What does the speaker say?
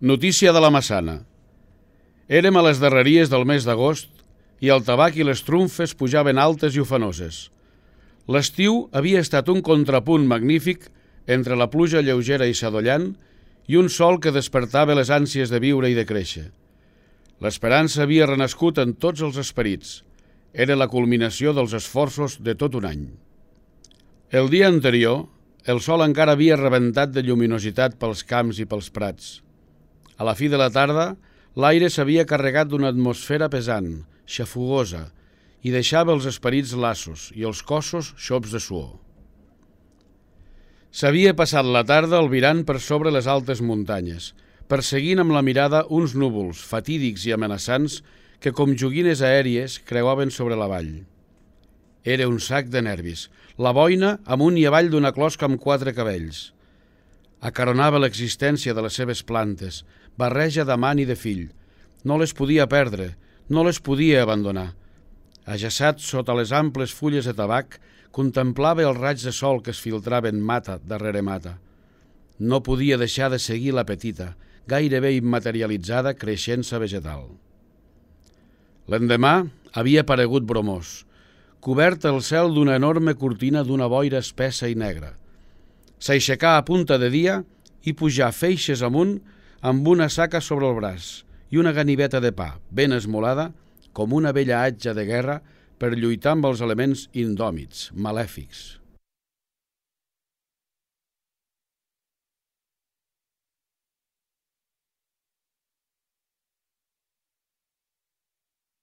Notícia de la Massana. Érem a les darreries del mes d'agost i el tabac i les trumfes pujaven altes i ufanoses. L'estiu havia estat un contrapunt magnífic entre la pluja lleugera i sadollant i un sol que despertava les ànsies de viure i de créixer. L'esperança havia renascut en tots els esperits. Era la culminació dels esforços de tot un any. El dia anterior, el sol encara havia rebentat de lluminositat pels camps i pels prats. A la fi de la tarda, l'aire s'havia carregat d'una atmosfera pesant, xafugosa, i deixava els esperits lassos i els cossos xops de suor. S'havia passat la tarda albirant per sobre les altes muntanyes, perseguint amb la mirada uns núvols fatídics i amenaçants que com joguines aèries creuaven sobre la vall. Era un sac de nervis, la boina amunt i avall d'una closca amb 4 cabells. Acaronava l'existència de les seves plantes, barreja d'amant i de fill. No les podia perdre, no les podia abandonar. Ajaçat sota les amples fulles de tabac, contemplava els raigs de sol que es filtraven mata darrere mata. No podia deixar de seguir la petita, gairebé immaterialitzada creixença vegetal. L'endemà havia aparegut bromós, cobert el cel d'una enorme cortina d'una boira espessa i negra. S'aixecà a punta de dia i pujà feixes amunt amb una saca sobre el braç i una ganiveta de pa, ben esmolada, com una vella atxa de guerra per lluitar amb els elements indòmits, malèfics.